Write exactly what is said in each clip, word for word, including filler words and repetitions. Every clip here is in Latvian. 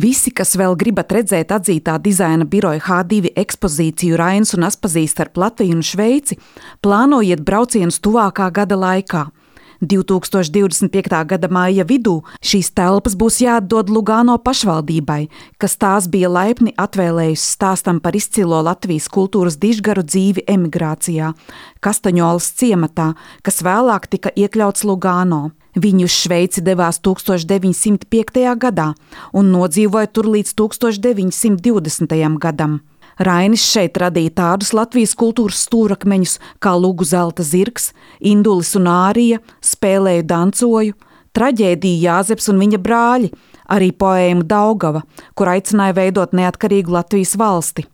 Visi, kas vēl gribat redzēt atzītā dizaina biroja H divi ekspozīciju Rainis un Aspazīs starp Latviju un Šveici, plānojiet braucienus tuvākā gada laikā. divtūkstoš divdesmit piekta gada maija vidū šīs telpas būs jāatdod Lugano pašvaldībai, kas tās bija laipni atvēlējusi stāstam par izcilo Latvijas kultūras dižgaru dzīvi emigrācijā, Kastaņolas ciematā, kas vēlāk tika iekļauts Lugano. Viņi uz Šveici devās tūkstoš deviņsimt piektajā gadā un nodzīvoja tur līdz tūkstoš deviņsimt divdesmitajam gadam. Rainis šeit radīja tādus Latvijas kultūras stūrakmeņus kā Lugu zelta zirgs, Indulis un Ārija, Spēlēju dancoju, traģēdiju Jāzeps un viņa brāļi, arī poēmu Daugava, kur aicināja veidot neatkarīgu Latvijas valsti.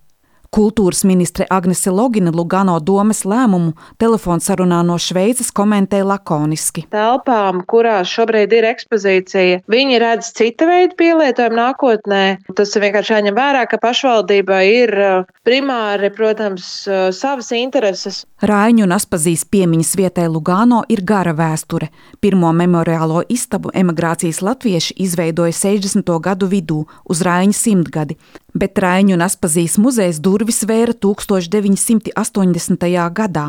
Kultūras ministre Agnese Logina Lugano domes lēmumu telefonsarunā no Šveices komentē lakoniski. Telpām, kurās šobrīd ir ekspozīcija, viņi redz cita veida pielietojumu nākotnē. Tas ir vienkārši jāņem vērā, ka pašvaldībai ir primāri, protams, savas intereses. Raiņu un Aspazīs piemiņas vietai Lugano ir gara vēsture. Pirmo memoriālo istabu emigrācijas latvieši izveidoja sešdesmito gadu vidū uz Raiņa simtgadi, bet Raiņu un Aspazīs muzejs durvis vēra tūkstoš deviņsimt astoņdesmitajā gadā.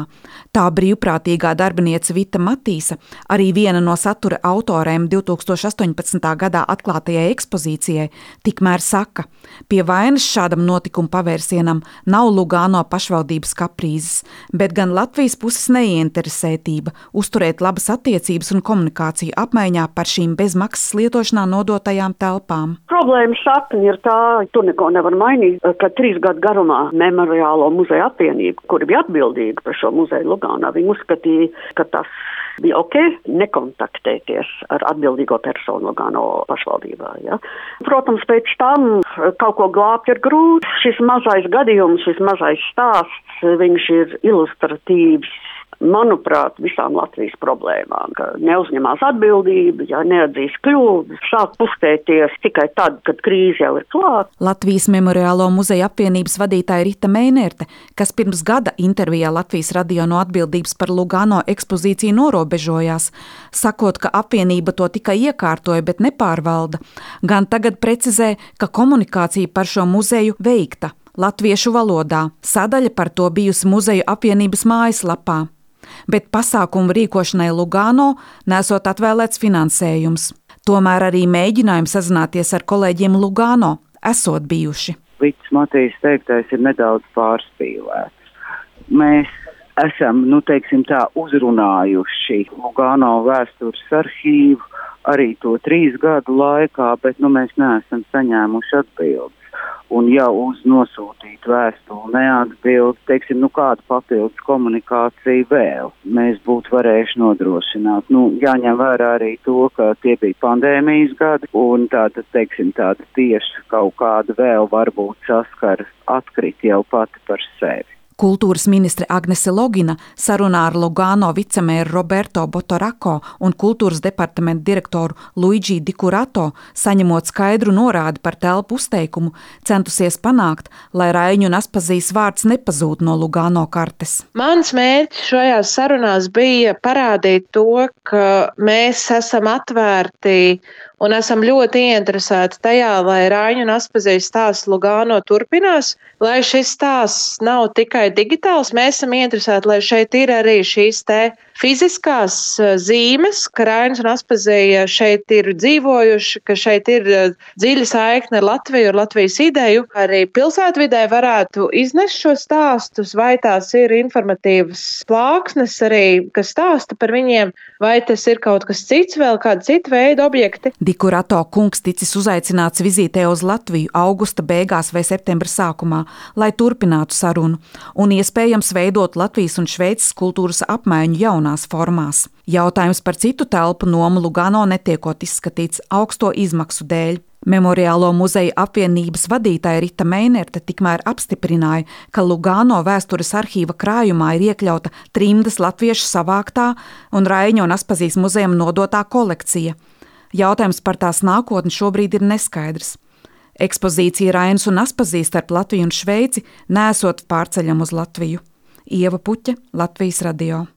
Tā brīvprātīgā darbiniece Vita Matīsa, arī viena no satura autorēm divtūkstoš astoņpadsmitā gadā atklātajai ekspozīcijai, tikmēr saka, pie vainas šādam notikuma pavērsienam nav Lugano pašvaldības kaprīzes, bet gan Latvijas puses neieinteresētība uzturēt labas attiecības un komunikāciju apmaiņā par šīm bezmaksas lietošanā nodotajām telpām. Problēma sakne ir tā, tur neko nevar mainīt, ka trīs gadu garumā Memoriālo muzeja apvienība, kuri bija atbildīga par šo muzeju Luganā, viņi uzskatīja, ka tas bija ok, nekontaktēties ar atbildīgo personu Lugano pašvaldībā. Ja? Protams, pēc tam kaut ko glābt ir grūti. Šis mazais gadījums, šis mazais stāsts, viņš ir ilustratīvs, manuprāt, visām Latvijas problēmām, ka neuzņemās atbildību, ja neatzīs kļūdas, sāk pustēties tikai tad, kad krīze jau ir klāta. Latvijas Memoriālo muzeja apvienības vadītāja Rita Meinerte, kas pirms gada intervijā Latvijas radio no atbildības par Lugano ekspozīciju norobežojās, sakot, ka apvienība to tikai iekārtoja, bet nepārvalda, gan tagad precizē, ka komunikācija par šo muzeju veikta latviešu valodā. Sadaļa par to bijusi muzeju apvienības mājaslapā. Bet pasākumu rīkošanai Lugano nesot atvēlēts finansējums. Tomēr arī mēģinājumi sazināties ar kolēģiem Lugano esot bijuši. Vitas Matīs teiktais ir nedaudz pārspīlēts. Mēs esam, nu teiksim tā, uzrunājuši Lugano vēstures arhīvu arī to trīs gadu laikā, bet nu mēs neesam saņēmuši atbildes. Un jau uz nosūtītu vēstuli neatbild, teiksim, nu kādu papildus komunikāciju vēl mēs būtu varējuši nodrošināt. Nu, jāņem vērā arī to, ka tie bija pandēmijas gadi, un tāda, teiksim, tāda tieši kaut kāda vēl varbūt saskara atkrit jau pati par sevi. Kultūras ministre Agnese Logina sarunā ar Lugano vicemēru Roberto Botorako un kultūras departamenta direktoru Luigi Di Curato, saņemot skaidru norādi par telpu uzteikumu, centusies panākt, lai Raiņu un Aspazīs vārds nepazūd no Lugano kartes. Mans mērķis šajās sarunās bija parādīt to, ka mēs esam atvērti un esam ļoti ieinteresēti tajā, lai Raiņu un Aspazīs stāsts Lugano turpinās, lai šis stāsts nav tikai digitāls, mēs esam ieinteresēti, lai šeit ir arī šīs te fiziskās zīmes, ka Rainis un Aspazija šeit ir dzīvojuši, ka šeit ir dziļa saikne ar Latviju, ar Latvijas ideju. Arī pilsētvidē varētu iznest šo stāstus, vai tās ir informatīvas plāksnes arī, kas stāsta par viņiem, vai tas ir kaut kas cits, vēl kāda cita veida objekti. Di Curato kungs ticis uzaicināts vizītē uz Latviju augusta beigās vai septembra sākumā, lai turpinātu sarunu un iespējams veidot Latvijas un Šveices kultūras apmaiņu jaunās formās. Jautājums par citu telpu nomu Lugano netiekot izskatīts augsto izmaksu dēļ. Memoriālo muzeja apvienības vadītāja Rita Meinerte tikmēr apstiprināja, ka Lugano vēstures arhīva krājumā ir iekļauta trimdas latviešu savāktā un Raiņu un Aspazīs muzejam nodotā kolekcija. Jautājums par tās nākotni šobrīd ir neskaidrs. Ekspozīcija Rainis un Aspazīs starp Latviju un Šveici nesot pārceļam uz Latviju. Ieva Puķe, Latvijas radio.